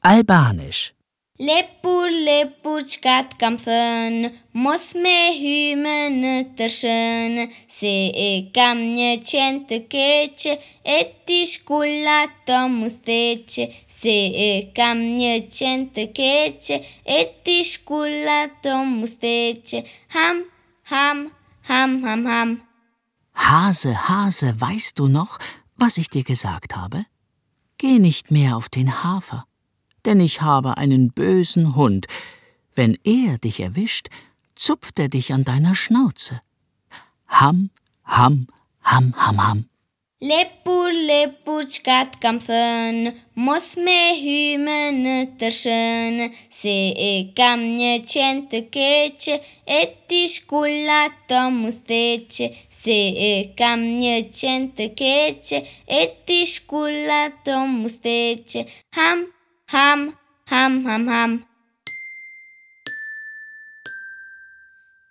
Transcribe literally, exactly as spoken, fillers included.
Albanisch. Lepur, lepur, qka t'kam thënë, mos me hymë në tërshën, se e kam një qenë të keq, e ti shkull ato musteqe, se e kam një qenë të keq, e ti shkull ato musteqe, ham, ham, ham, ham, ham. Hase, Hase, weißt du noch, was ich dir gesagt habe? Geh nicht mehr auf den Hafer, denn ich habe einen bösen Hund. Wenn er dich erwischt, zupft er dich an deiner Schnauze. Ham, ham, ham, ham, ham. Lepur, lepur, qka t'kam thënë, mos me hymë në tërshën, se e kam një qenë të keq, e ti shkull ato musteqe, se e kam një qenë të keq, e ti shkull ato musteqe, ham, ham, ham, ham, ham.